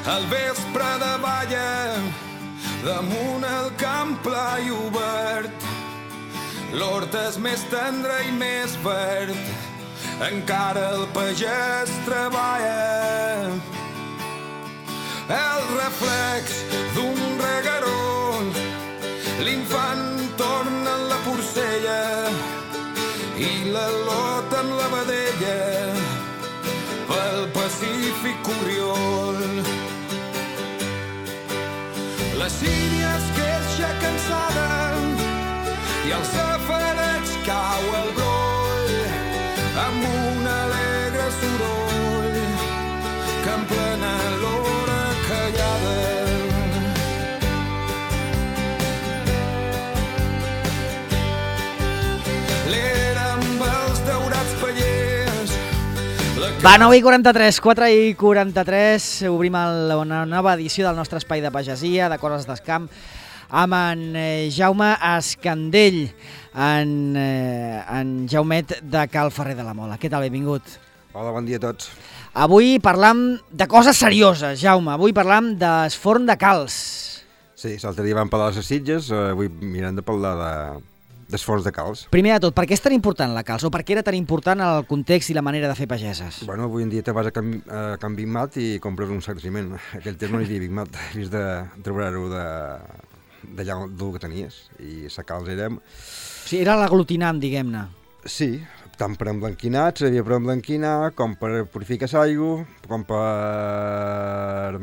Al vespre de balla, damunt el camp pla i obert, l'hort és més tendre i més verd, encara el pagès treballa. El reflex d'un regueró, l'infant torna en la porcella i la lota en la vedella, pel Pacífic Corriol. La sínia es queixa cansada i al safareig cau el broll amb un alegre soroll que emplena l'hora callada. L'era amb els daurats pallers. Va, 9:43, 4:43, obrim una nova edició del nostre espai de pagesia, de coses d'escamp, amb en Jaume Escandell, en Jaumet de Cal Ferrer de la Mola. Què tal, benvingut? Hola, bon dia a tots. Avui parlam de coses serioses, Jaume. Avui parlam d'esforn de calç. Sí, l'altre dia vam parlar de les Sitges, avui mirem de parlar d'esforç de calç. Primer de tot, per què és tan important la calç? O per què era tan important el context i la manera de fer pageses? Bueno, avui en dia te vas a Can Big Mat i compres un sac de ciment. Aquell temps no hi havia Big Mat, havies de treure-ho d'allà del que tenies. I la calç era... O sigui, era l'aglutinant, diguem-ne. Sí, tant per emblanquinar, servia per emblanquinar, com per purificar l'aigua, com per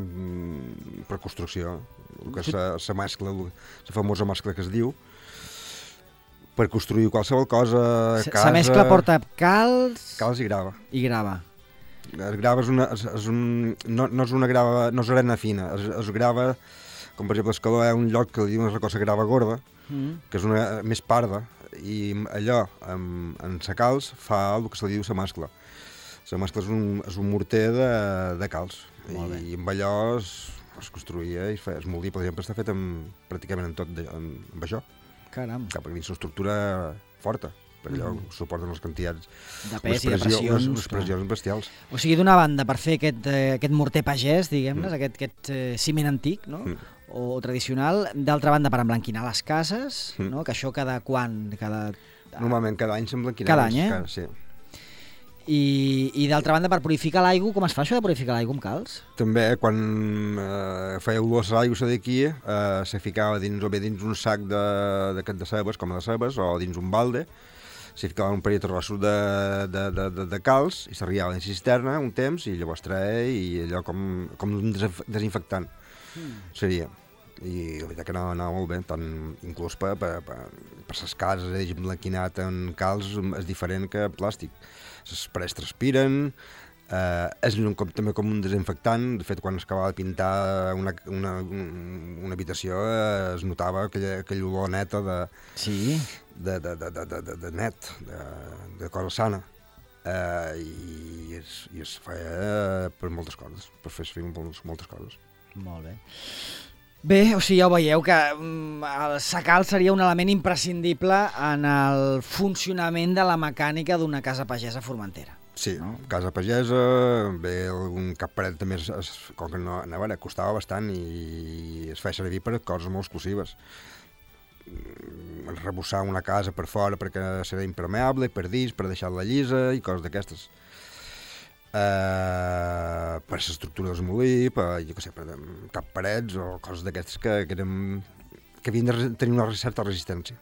construcció. Que és la mescla, la famosa mescla que es diu, per construir qualsevol cosa, casa... La mescla porta calç... Calç i grava. I grava. El grava no és una grava, no és arena fina, es grava, com per exemple Escaló hi ha un lloc que li diuen una cosa grava gorda, que és una més parda, i allò, en la calç, fa el que se li diu la mescla. La mescla és un morter de calç, i amb allò es construïa i es moldia, per exemple, està fet pràcticament en tot amb això. Caram. Perquè dins una estructura forta, per allò suporten les quantitats de pes i de pressions. Les pressions bestials. O sigui, d'una banda, per fer aquest morter pagès, diguem-ne, aquest ciment antic, no? O tradicional, d'altra banda per emblanquinar les cases, no? Que això cada quan? Normalment cada any s'emblanquinava. Cada any, sí. I d'altra banda per purificar l'aigua, com es fa això de purificar l'aigua amb calç? També quan feia olor a l'aigua d'aquí, se ficava dins un sac de cebes, com de cebes, o dins un balde, se ficava un parell de trossos de calç i s'arriava dins la cisterna un temps i llavors treia i allò com un desinfectant seria. I la veritat que anava molt bé, tant inclús per les cases, emblanquinat en calç és diferent que plàstic. Les parets transpiren, és també com un desinfectant. De fet, quan es acabava de pintar una habitació es notava aquella olor neta de net, de cosa sana. I es feia per moltes coses, per fer moltes coses. Molt bé. Bé, o sigui, ja ho veieu que el sacal seria un element imprescindible en el funcionament de la mecànica d'una casa pagesa formentera. Sí, no? Casa pagesa, bé, un cap paret també, com que no, a veure, costava bastant i es feia servir per coses molt exclusives. Rebussar una casa per fora perquè serà impermeable, per dins, per deixar-la llisa i coses d'aquestes. Per l'estructura del molí, jo què sé, per cap parets o coses d'aquestes que havien de tenir una certa resistència.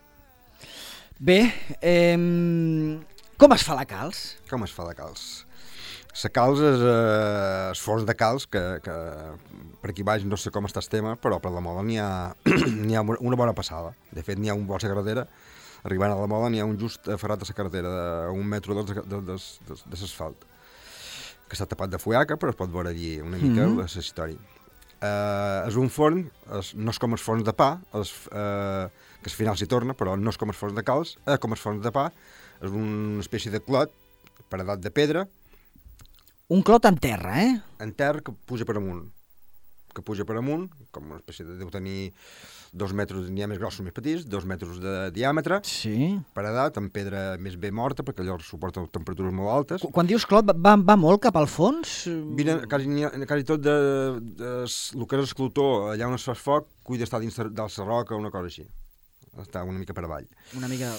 Bé, com es fa la calç? Com es fa la calç? La calç és esforç de calç, que per aquí baix no sé com està el tema, però per la Mola n'hi ha una bona passada. De fet, n'hi ha un bon a carretera, arribant a la Mola n'hi ha un just aferrat a la carretera a 1 metre de l'asfalt, que està tapat de fullaca, però es pot veure allí una mica la història. És un forn, no és com els forns de pa, que al final s'hi torna, però no és com els forns de calç, com els forns de pa, és una espècie de clot paredat de pedra. Un clot en terra, En terra que puja per amunt. que puja per amunt, com una espècie de... deu tenir 2 metres, n'hi ha més grossos, més petits, 2 metres de diàmetre, Sí. paredat, amb pedra més bé morta, perquè allò suporta temperatures molt altes. Quan dius clot, va molt cap al fons? Vine, quasi tot el que és esclutó, allà on es fa foc, cuida d'estar dins de la roca o una cosa així. Està una mica per avall. Una mica...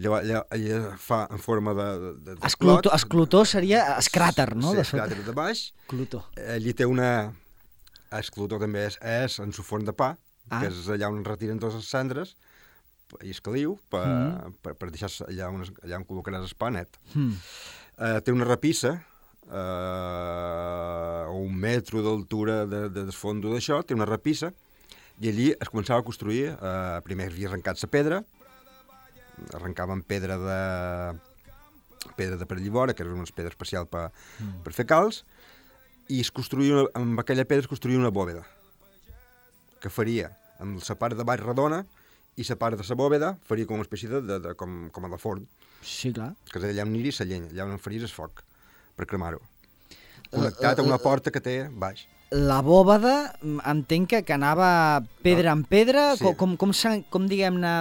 Allà fa en forma de Esclutó seria escràter, no? Sí, escràter de baix. Esclutó. Allí té una... Esclutó també és en su forn de pa, que és allà on retiren totes les cendres, i és caliu, per deixar allà on col·locaràs el pa net. Té una rapissa, a 1 metro d'altura del fondo d'això, té una rapissa, i allí es començava a construir, primer havia arrencat la pedra, arrencaven pedra de per llivora, que era una pedra especial per fer calç, i amb aquella pedra es construïa una bòveda, que faria amb la part de baix redona i la part de la bòveda faria com una espècie com a de forn. Sí, clar. Que és allà on aniria la llenya, allà on faries el foc, per cremar-ho. Connectat a una porta que té baix. La bòveda, entenc que anava pedra en pedra, Sí. com diguem-ne,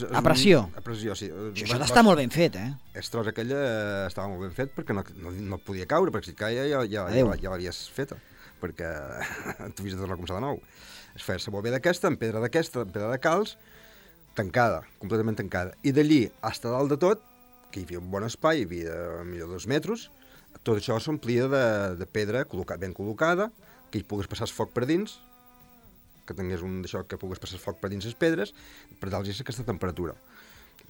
a pressió. A pressió, sí. Això està molt ben fet, eh? El tros aquella estava molt ben fet perquè no podia caure, perquè si caia ja l'havies feta, perquè t'havies de tornar a començar de nou. Es feia la bòveda aquesta, en pedra d'aquesta, en pedra de calç, tancada, completament tancada. I d'allí, fins a dalt de tot, que hi havia un bon espai, hi havia millor 2 metres, tot això s'omplia de pedra ben col·locada, que hi pogués passar el foc per dins, que tingués un d'això que pogués passar el foc per dins les pedres, per dalt és aquesta temperatura.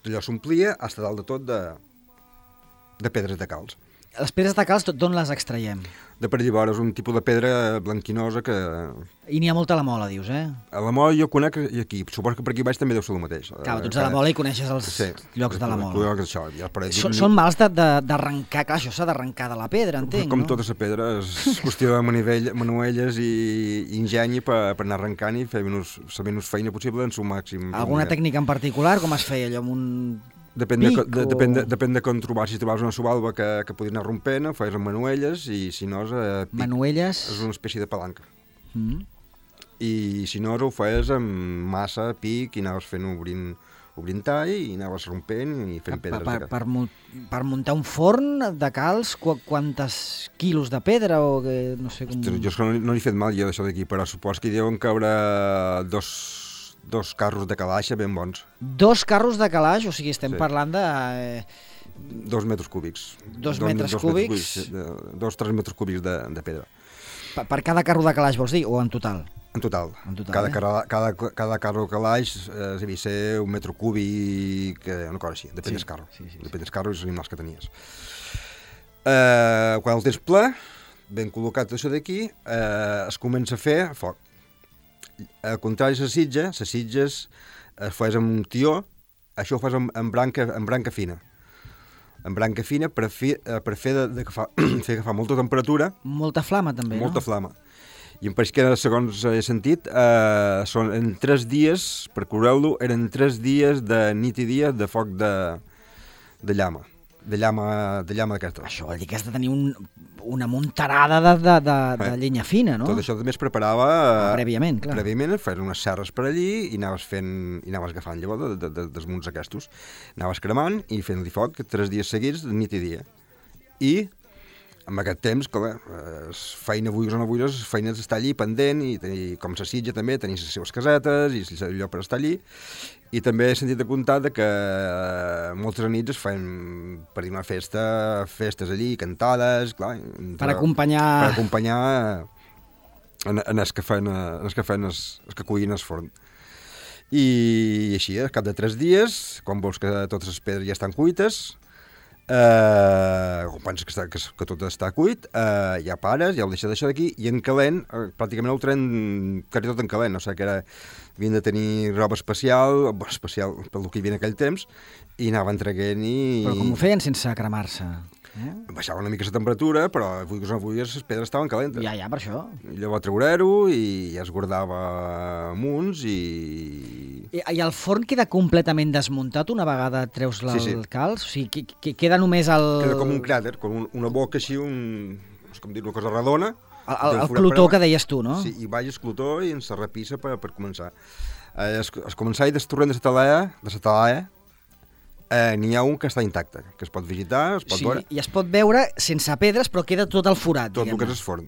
Allò s'omplia fins a dalt de tot de pedres de calç. Les pedres de calç, d'on les extraiem? De per llavors és un tipus de pedra blanquinosa que... I n'hi ha molta a la Mola, dius, eh? A la Mola jo conec i aquí, suposo que per aquí baix també deu ser el mateix. Clar, tu ets a la Mola i coneixes els llocs de la Mola. Això, ja Són mals d'arrencar, clar, això s'ha d'arrencar de la pedra, entenc, com no? tota la pedra, és qüestió de manuelles i ingeni per anar arrencant i fer la menys feina possible en su màxim. Alguna tècnica en particular, com es feia allò amb un... Depèn de com trobar. Si trobaves una subalba que podia anar rompent, ho feies amb manuelles, i si no és pic. Manuelles? És una espècie de palanca. I si no ho feies amb massa, pic, i anaves fent obrint tall, i anaves rompent i fent pedres. Per muntar un forn de calç, quantes quilos de pedra o que no sé com... Jo no he fet mal jo d'això d'aquí, però supos que hi deuen caure dos carros de calaixa ben bons. 2 carros de calaix, o sigui, estem parlant de... 2 metres cúbics. 2 metres cúbics? 2-3 metres cúbics de pedra. Per cada carro de calaix, vols dir, o en total? En total. Cada carro de calaix devia ser 1 metre cúbic, una cosa així, depèn del carro. Depèn del carro i els animals que tenies. Quan el tens ple, ben col·locat això d'aquí, es comença a fer foc. Al contrari de les sitges es fas amb un tió, això ho fas amb branca fina. Amb branca fina per fer que fa molta temperatura. Molta flama, també, molta flama. I em pareix que, segons he sentit, són en 3 dies, per curar-lo, eren 3 dies de nit i dia de foc de llama. De llama d'aquesta. Això vol dir que has de tenir una muntarada de llenya fina, no? Tot això també es preparava... Prèviament, clar. Prèviament, feies unes serres per allí i anaves agafant llavors dels munts aquests. Anaves cremant i fent-li foc 3 dies seguits, de nit i dia. I amb aquest temps, clar, feina vulguis o no vulguis, feina d'estar allí pendent, i com la sitja també, tenir les seves casetes i allò per estar allí. I també he sentit de comptar que moltes nits es feien per dir una festes allí, cantades, clar. Per acompanyar... Per acompanyar en els que cuïn el forn. I així, al cap de 3 dies, quan veus que totes les pedres ja estan cuites, quan penses que tot està cuit, ja pares, ja ho deixes d'això d'aquí, i en calent, pràcticament ho tren quasi tot en calent, no sé, que havien de tenir roba especial pel que hi havia en aquell temps, i anaven traguent i... Però com ho feien sense cremar-se? Baixava una mica la temperatura, però vulguis o no vulguis, les pedres estaven calentes. Ja, per això. I llavors treure-ho i ja es guardava amunts i... I el forn queda completament desmuntat una vegada treus el calç? O sigui, queda només el... Queda com un cràter, com una boca així, és com dir una cosa redona, El clotó que deies tu, no? Sí, i baix el clotó i en la repissa per començar. Es començar del torrent de Satalaia, n'hi ha un que està intacte, que es pot visitar, es pot veure. I es pot veure sense pedres, però queda tot el forat, tot el que és el forn.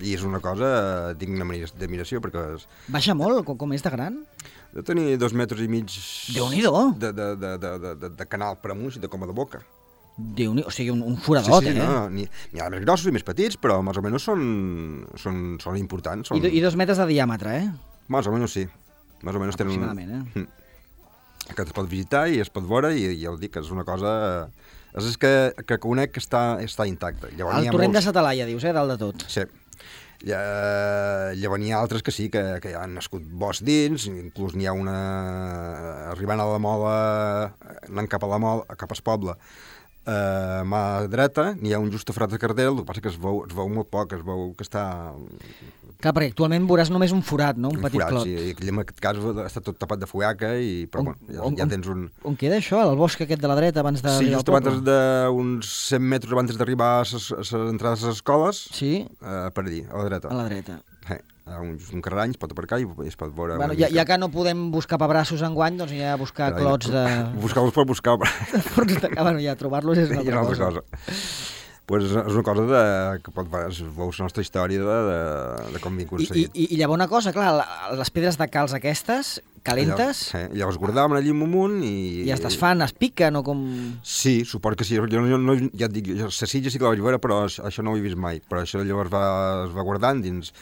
I és una cosa digna d'admiració, perquè... Baixa molt? Com és de gran? De tenir 2,5 metres Déu-n'hi-do! De canal per amunt i de coma de boca. Déu-n'hi-do, o sigui, un foradot, sí, no, n'hi ha més grossos i més petits, però més o menys són importants. I 2 metres de diàmetre, Més o menys sí. Més o menys aproximadament, que es pot visitar i es pot veure, i ja ho dic, és una cosa... És que conec que està intacte. El torrent de Satalaia, dius, dalt de tot. Sí. Llavors n'hi ha altres que sí, que ja han nascut bosc dins, inclús n'hi ha una... Arribant a la Mola, anant cap a la Mola, cap al poble, a mà dreta, n'hi ha un just a Frat de Cardel, el que passa que es veu molt poc, es veu que està... Clar, perquè actualment veuràs només un forat, no? Un petit clot. Sí, i en aquest cas està tot tapat de fullaca, però ja tens un... On queda això, el bosc aquest de la dreta, abans d'arribar al poble? Sí, just d'uns 100 metres abans d'arribar a les entrades a les escoles, per allí, a la dreta. A la dreta. Un carrerany, es pot aparcar i es pot veure... Bueno, ja que no podem buscar pebrassos enguany, doncs ja buscar clots de... Buscar-los per buscar. Bueno, ja trobar-los és una altra cosa. Pues és una cosa que pot veure la nostra història de com m'hi aconseguit. I llavors una cosa, clar, les pedres de calç aquestes, calentes... Llavors guardaven allí amunt i... I es desfan, es piquen o com... Sí, suport que sí. Jo ja et dic, la sitja sí que la vaig veure, però això no ho he vist mai. Però això llavors es va guardant dins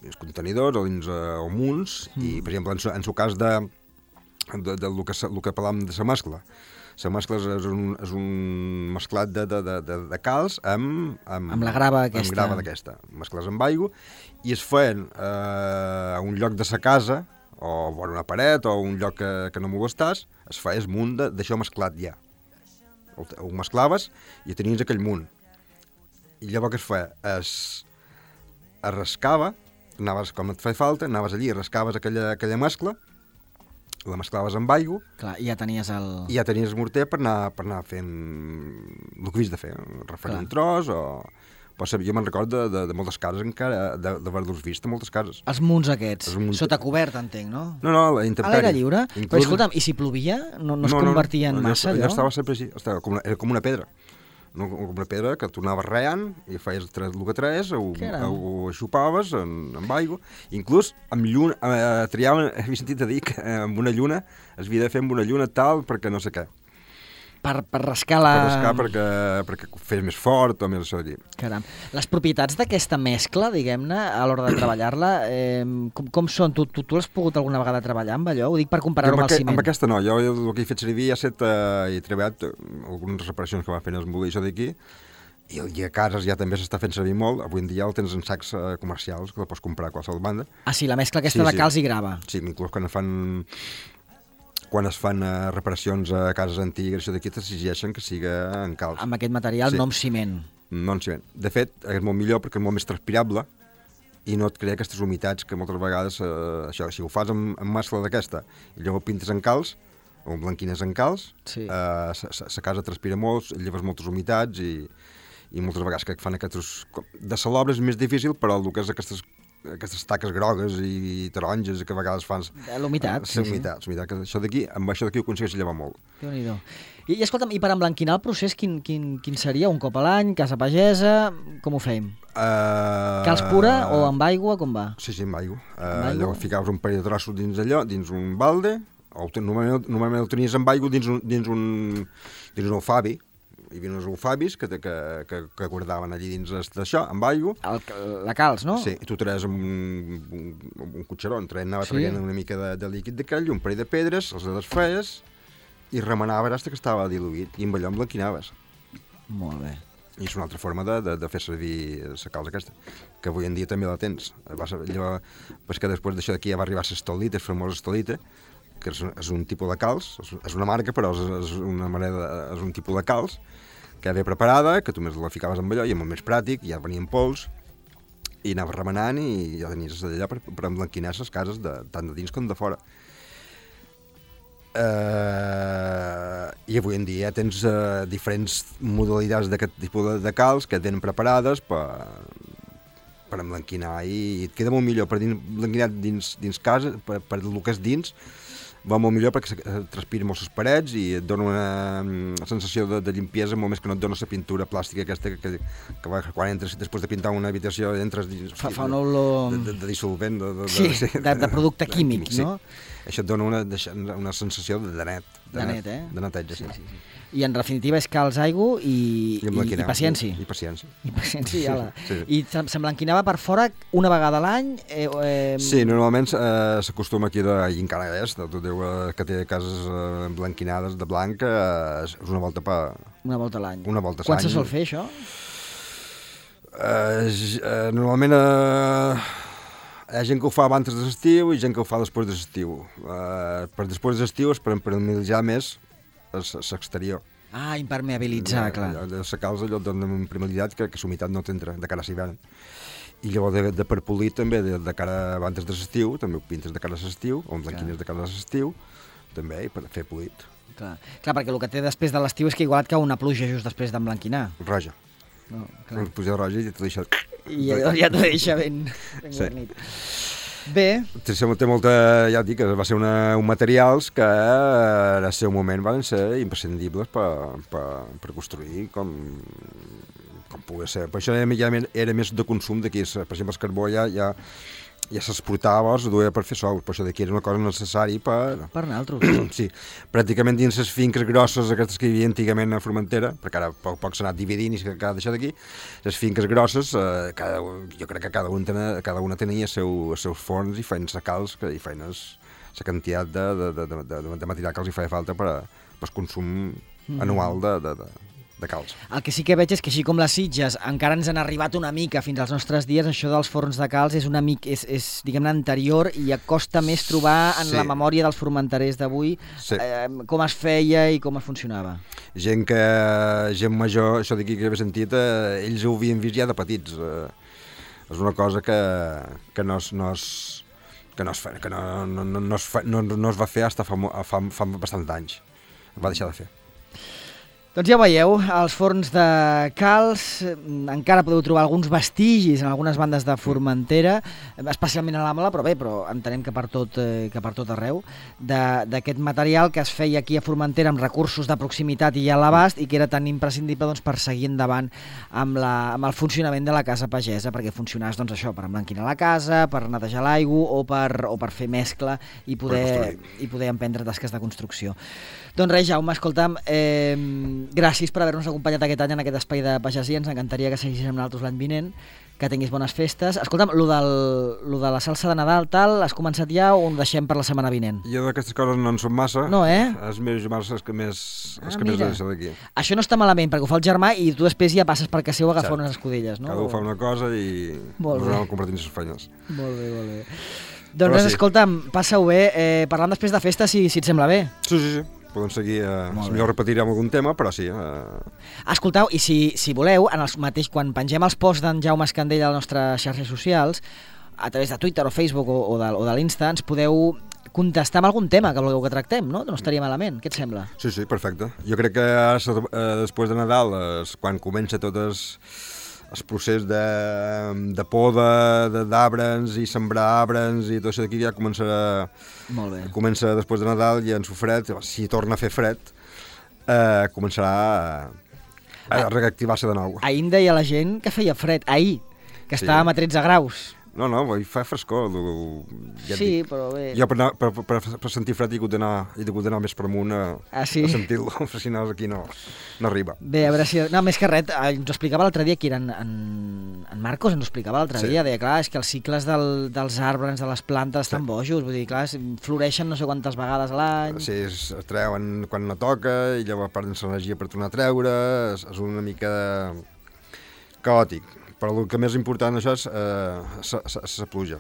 els contenidors o dins munts, i per exemple en el cas del que parlàvem de la mescla. La mescla és un mesclat de calç amb la grava aquesta. Amb grava d'aquesta. Mescles amb aigua, i es feien a un lloc de sa casa, o vora una paret, o un lloc que no molestàs, es feia el munt d'això mesclat ja. Ho mesclaves i tenies aquell munt. I llavors què es feia? Es rascava, anaves, com et feia falta, anaves allí, rascaves aquella mescla, la mesclaves amb aigua. Clar, i ja tenies el... I ja tenies morter per anar fent el que havies de fer, referir un tros o... Jo me'n recordo de moltes cases encara, d'haver-los vist a moltes cases. Els munts aquests, sota cobert, entenc, no? No, la intempèrie. A l'aire lliure? Però escolta'm, i si plovia, no es convertia en massa, allò? Allò estava sempre així, era com una pedra. Com una pedra que tornaves reant i feies el que traes, ho xupaves amb aigua. Inclús amb lluna, triaven, havia sentit a dir que amb una lluna es havia de fer amb una lluna tal perquè no sé què. Per rascar la... Per rascar perquè fes més fort o més això d'allí. Caram. Les propietats d'aquesta mescla, diguem-ne, a l'hora de treballar-la, com són? Tu l'has pogut alguna vegada treballar amb allò? Ho dic per comparar-ho amb el ciment. Amb aquesta no. Jo el que he fet servir he treballat algunes reparacions que va fent el molí això d'aquí, i a cases ja també s'està fent servir molt. Avui en dia el tens en sacs comercials, que la pots comprar a qualsevol banda. Ah, sí, la mescla aquesta de calç i grava. Sí, inclús quan es fan reparacions a cases antigues, això d'aquí t'exigeixen que siga en calç. Amb aquest material, no amb ciment. No amb ciment. De fet, és molt millor perquè és molt més transpirable i no et crea aquestes humitats que moltes vegades, si ho fas amb mescla d'aquesta i llavors pintes en calç, o blanquines en calç, la casa transpira molt, lleves moltes humitats i moltes vegades que fan aquests... De la l'obra és més difícil, però el que és aquestes taques grogues i taronges que a vegades fan... L'humitat. L'humitat. Amb això d'aquí ho aconsegueix llevar molt. Déu-n'hi-do. I escolta'm, i per emblanquinar el procés, quin seria? Un cop a l'any, casa pagesa, com ho fèiem? Calç pura o amb aigua, com va? Sí, amb aigua. Llavors ficaves un parell de trossos dins allò, dins un balde, o normalment el tenies amb aigua dins un alfabi. Hi havia uns alfabis que guardaven allí dins d'això, amb aigua. La calç, no? Sí, i tu traes amb un cotxeró, anava traient una mica de líquid d'aquell, un parell de pedres, els desfeies i remanaves fins que estava diluït, i amb allò emblanquinaves. Molt bé. I és una altra forma de fer servir la calç aquesta, que avui en dia també la tens. Que després d'això d'aquí ja va arribar l'estolita, el famós estolita, que és un tipus de calç, és una marca, però és un tipus de calç que ve preparada, que tu més la ficaves amb allò i és molt més pràctic, ja venia en pols, i anaves remenant i ja tenies allà per emblanquinar les cases tant de dins com de fora. I avui en dia tens diferents modalitats d'aquest tipus de calç que et venen preparades per emblanquinar i et queda molt millor per emblanquinat dins casa, per el que és dins, va molt millor perquè transpira molt les parets i et dona una sensació de limpiesa molt més que no et dona la pintura plàstica aquesta que quan entres després de pintar una habitació entres dins fa una olor de dissolvent de producte químic, no? Això et dona una sensació de net, de neteja. Sí. I en definitiva és calç, aigua i paciència. I paciència. I paciència, sí. I s'emblanquinava per fora una vegada a l'any? Sí, normalment s'acostuma aquí, i encara és, tot Déu que té cases emblanquinades de blanc, és una volta Una volta a l'any. Una volta a l'any. Quan se sol fer, això? Normalment hi ha gent que ho fa abans de l'estiu i gent que ho fa després de l'estiu. Per després de l'estiu és per impermeabilitzar més l'exterior. Impermeabilitzar, clar. La calç allò dona una impermeabilitat que la humitat no t'entra de cara a l'hivern. I llavors de per polir també, de cara abans de l'estiu, també ho pintes de cara a l'estiu, o emblanquines de cara a l'estiu, també, per fer polit. Clar, perquè el que té després de l'estiu és que igual et cau una pluja just després d'emblanquinar. Roja. No, una pluja roja i t'ho deixa... I ja t'ho deixa ben guarnit. Bé. Té molta, ja et dic, va ser un materials que en el seu moment van ser imprescindibles per construir com pugui ser. Per això ja era més de consum d'aquí. Per exemple, el carbó ja s'exportava, es duia per fer sous, per això d'aquí era una cosa necessària per naltros. Sí, pràcticament dins les finques grosses, aquestes que hi havia antigament a Formentera, perquè ara poc s'ha anat dividint i s'ha deixat d'aquí, les finques grosses, jo crec que cada una tenia els seus forns i feien la calç i feien la quantitat de material que els hi feia falta per al consum anual de calç. El que sí que veig és que així com les Sitges encara ens han arribat una mica fins als nostres dies, això dels forns de calç és una mica, és diguem-ne, anterior i costa més trobar en la memòria dels formenterers d'avui com es feia i com es funcionava. Gent major, això d'aquí que he sentit, ells ho havien vist ja de petits. És una cosa que no es va fer fins fa bastants anys. Es va deixar de fer. Doncs ja ho veieu, els forns de calç, encara podeu trobar alguns vestigis en algunes bandes de Formentera, especialment a l'Àmala, però entenem que per tot arreu, d'aquest material que es feia aquí a Formentera amb recursos de proximitat i a l'abast i que era tan imprescindible per seguir endavant amb el funcionament de la casa pagesa, perquè funcionés això, per emblanquinar la casa, per netejar l'aigua o per fer mescla i poder emprendre tasques de construcció. Doncs res, Jaume, escolta'm, gràcies per haver-nos acompanyat aquest any en aquest espai de pagesia, ens encantaria que seguissis amb nosaltres l'any vinent, que tinguis bones festes. Escolta'm, lo de la salsa de Nadal, has començat ja o ho deixem per la setmana vinent? Jo d'aquestes coses no en som massa. No, És més els que més deixo d'aquí. Això no està malament, perquè ho fa el germà i tu després ja passes per casa seu a agafar unes escudelles, no? Cada un fa una cosa i ens anem compartint les feines. Molt bé. Doncs escolta'm, passa-ho bé, parlant després de festa, si et sembla bé. Sí. Podem seguir, millor repetirem algun tema, però sí. Escolteu, i si voleu, quan pengem els posts d'en Jaume Escandell a les nostres xarxes socials, a través de Twitter o Facebook o de l'Insta, ens podeu contestar amb algun tema que vulgueu que tractem, no? No estaria malament, què et sembla? Sí, perfecte. Jo crec que ara, després de Nadal, quan comença tot el procés de poda d'arbres i sembrar arbres i tot això d'aquí ja començarà. Molt bé. Comença després de Nadal i en su fred, si torna a fer fred, començarà a reactivar-se de nou. Ahir em deia la gent que feia fred, que estàvem a 13 graus. No, fa frescor. Sí, però bé. Jo per sentir fred he hagut d'anar més per amunt a sentir-lo, si no aquí no arriba. Bé, a veure si... No, més que res, ens ho explicava l'altre dia, que era en Marcos ens ho explicava l'altre dia, deia, clar, és que els cicles dels arbres, de les plantes estan bojos, vull dir, clar, floreixen no sé quantes vegades a l'any... Sí, es treuen quan no toca, i llavors perden l'energia per tornar a treure, és una mica caòtic. Però el que més important això és la pluja.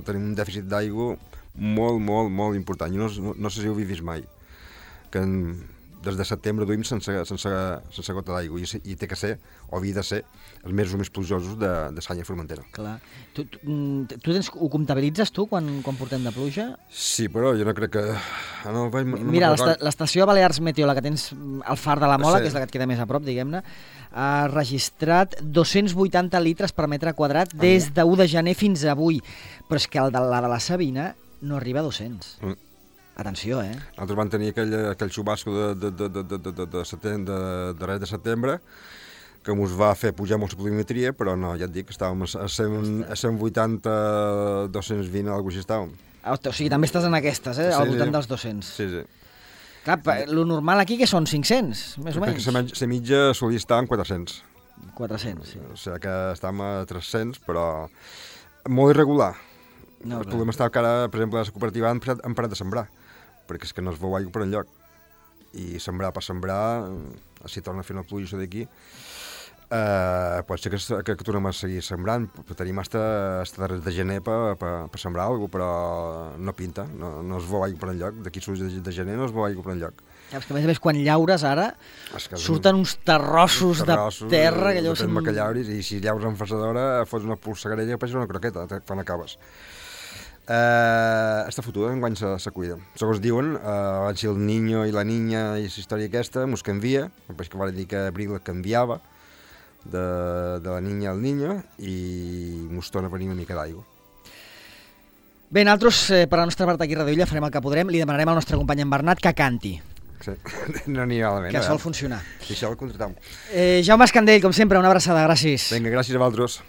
Tenim un dèficit d'aigua molt important. Jo no sé si ho he vist mai. Que des de setembre duim sense gota d'aigua i té que ser, o havia de ser, els mesos més plujosos de l'any a Formentera. Clar. Ho comptabilitzes tu quan portem de pluja? Sí, però jo no crec que... Mira, l'estació de Balears Meteo, la que tens al Far de la Mola, que és la que et queda més a prop, diguem-ne, ha registrat 280 litres per metre quadrat des de 1 de gener fins avui. Però és que la de la Sabina no arriba a 200. Atenció, eh? Nosaltres vam tenir aquell xubasco de res de setembre que ens va fer pujar molt la pluviometria, però no, ja et dic, estàvem a 180, 220, alguna cosa així estàvem. O sigui, també estàs en aquestes, al voltant dels 200. Sí, sí. Clar, lo normal aquí que són 500, més o menys. Perquè la mitja solia estar en 400. 400, sí. O sigui que estàvem a 300, però molt irregular. El problema està que ara, per exemple, a la cooperativa han parat de sembrar, perquè és que no es veu aigua per enlloc. I sembrar per sembrar, si torna a fer una pluja d'aquí, pot ser que tornem a seguir sembrant, però tenim fins darrere de gener per sembrar alguna cosa, però no pinta, no es veu aigua per enlloc. D'aquí de gener no es veu aigua per enlloc. És que a més quan llaures ara surten uns terrossos de terra que allò... Depèn que llauris, i si llaures amb fasadora fots una polsegarella que pareix una croqueta quan acabes. Està fotuda, enguany se cuida. Segons diuen, abans el Niño i la Niña i la història aquesta mos canvia, després que va dir que abril canviava de la Niña al Niño i mos torna a venir una mica d'aigua. Bé, nosaltres, per la nostra part aquí a Radio Illa, farem el que podrem, li demanarem al nostre company en Bernat que canti. Sí, no n'hi ha malament. Que sol funcionar. I això el contratam. Jaume Escandell, com sempre, una abraçada, gràcies. Vinga, gràcies a vosaltres.